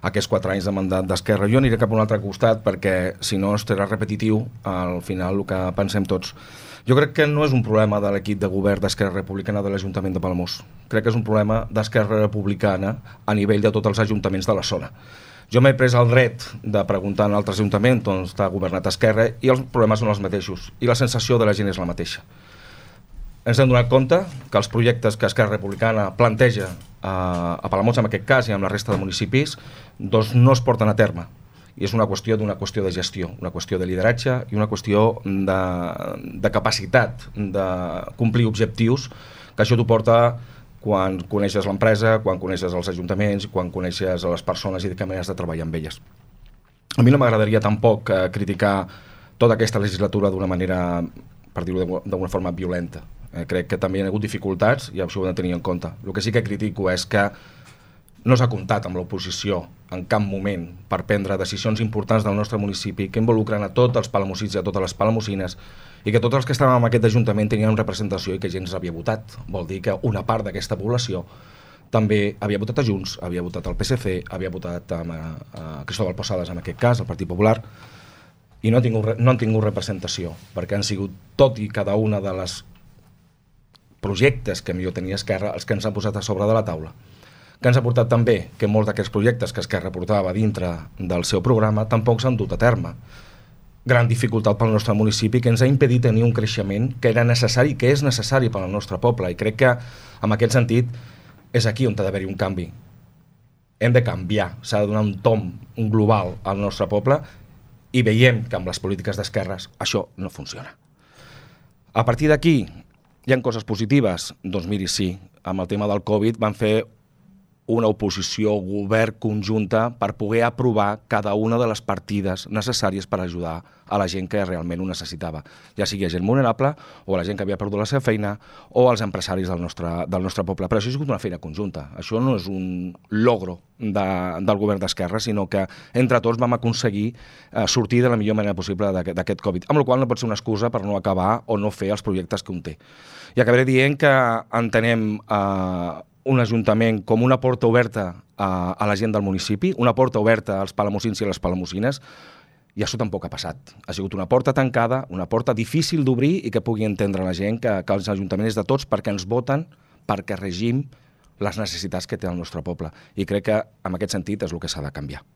aquests 4 anys de mandat d'Esquerra. Jo aniré cap a un altre costat perquè, si no, estarà repetitiu al final el que pensem tots. Jo crec que no és un problema de l'equip de govern d'Esquerra Republicana de l'Ajuntament de Palamós. Crec que és un problema d'Esquerra Republicana a nivell de tots els ajuntaments de la zona. Jo m'he pres el dret de preguntar en altres ajuntaments on està governat Esquerra i els problemes són els mateixos i la sensació de la gent és la mateixa. Ens hem donat compte que els projectes que Esquerra Republicana planteja a Palamós, en aquest cas, i amb la resta de municipis, doncs no es porten a terme. I és una qüestió de gestió, una qüestió de lideratge i una qüestió de capacitat de complir objectius, que això t'ho porta quan coneixes l'empresa, quan coneixes els ajuntaments, quan coneixes les persones i de què maneres de treballar amb elles. A mi no m'agradaria tampoc criticar tota aquesta legislatura d'una manera, per dir-ho d'una forma violenta. Crec que també hi ha hagut dificultats i això ho hem de tenir en compte. El que sí que critico és que no s'ha comptat amb l'oposició en cap moment per prendre decisions importants del nostre municipi que involucren a tots els palamosins i a totes les palamosines i que tots els que estàvem en aquest ajuntament tenien representació i que gent havia votat. Vol dir que una part d'aquesta població també havia votat a Junts, havia votat al PSC, havia votat a Cristóbal Posadas, en aquest cas, al Partit Popular, i no han tingut representació, perquè han sigut tot i cada una de les projectes que millor tenia Esquerra els que ens han posat a sobre de la taula. Que ens ha portat també que molts d'aquests projectes que Esquerra portava dintre del seu programa tampoc s'han dut a terme. Gran dificultat pel nostre municipi que ens ha impedit tenir un creixement que era necessari, que és necessari pel nostre poble, i crec que en aquest sentit és aquí on ha d'haver-hi un canvi. Hem de canviar, s'ha de donar un tom, un global al nostre poble, i veiem que amb les polítiques d'esquerres això no funciona. A partir d'aquí hi ha coses positives? Doncs miri, sí, amb el tema del Covid van fer una oposició govern conjunta per poder aprovar cada una de les partides necessàries per ajudar a la gent que realment ho necessitava, ja sigui gent vulnerable o la gent que havia perdut la seva feina o els empresaris del nostre poble. Però això ha sigut una feina conjunta, això no és un logro del govern d'Esquerra, sinó que entre tots vam aconseguir sortir de la millor manera possible d'aquest Covid, amb la qual cosa no pot ser una excusa per no acabar o no fer els projectes que un té. I acabaré dient que entenem un ajuntament com una porta oberta a la gent del municipi, una porta oberta als palamosins i a les palamosines, i això tampoc ha passat. Ha sigut una porta tancada, una porta difícil d'obrir i que pugui entendre la gent que els ajuntaments és de tots perquè ens voten, perquè regim les necessitats que té el nostre poble. I crec que en aquest sentit és el que s'ha de canviar.